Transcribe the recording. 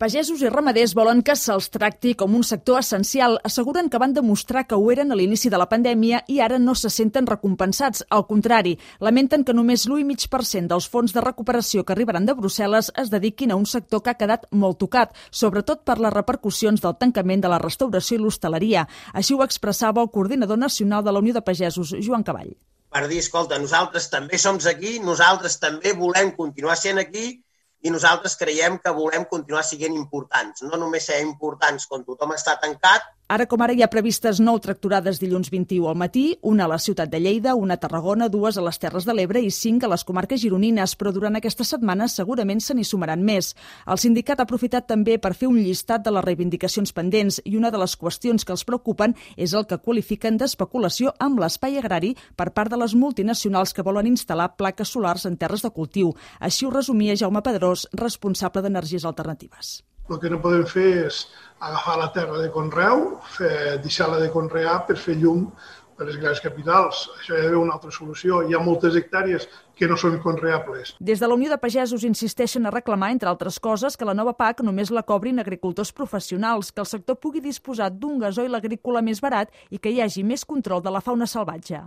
Pagesos i ramaders volen que se'ls tracti com un sector essencial. Asseguren que van demostrar que ho eren a l'inici de la pandèmia i ara no se senten recompensats. Al contrari, lamenten que només l'1,5% dels fons de recuperació que arribaran de Brussel·les es dediquin a un sector que ha quedat molt tocat, sobretot per les repercussions del tancament de la restauració i l'hostaleria. Així ho expressava el coordinador nacional de la Unió de Pagesos, Joan Caball. Per dir, escolta, nosaltres també som aquí, nosaltres també volem continuar sent aquí i nosaltres creiem que volem continuar sent importants. No només ser importants quan tothom està tancat. Ara com ara hi ha previstes 9 tractorades dilluns 21 al matí, una a la ciutat de Lleida, una a Tarragona, 2 a les Terres de l'Ebre i 5 a les comarques gironines, però durant aquesta setmana segurament se n'hi sumaran més. El sindicat ha aprofitat també per fer un llistat de les reivindicacions pendents i una de les qüestions que els preocupen és el que qualifiquen d'especulació amb l'espai agrari per part de les multinacionals que volen instal·lar plaques solars en terres de cultiu. Així ho resumia Jaume Pedrós, responsable d'Energies Alternatives. El que no podem fer és agafar la terra de conreu, deixar-la de conrear per fer llum per les grans capitals. Això hi ha d'haver una altra solució. Hi ha moltes hectàrees que no són conreables. Des de la Unió de Pagesos insisteixen a reclamar, entre altres coses, que la nova PAC només la cobrin agricultors professionals, que el sector pugui disposar d'un gasoil agrícola més barat i que hi hagi més control de la fauna salvatge.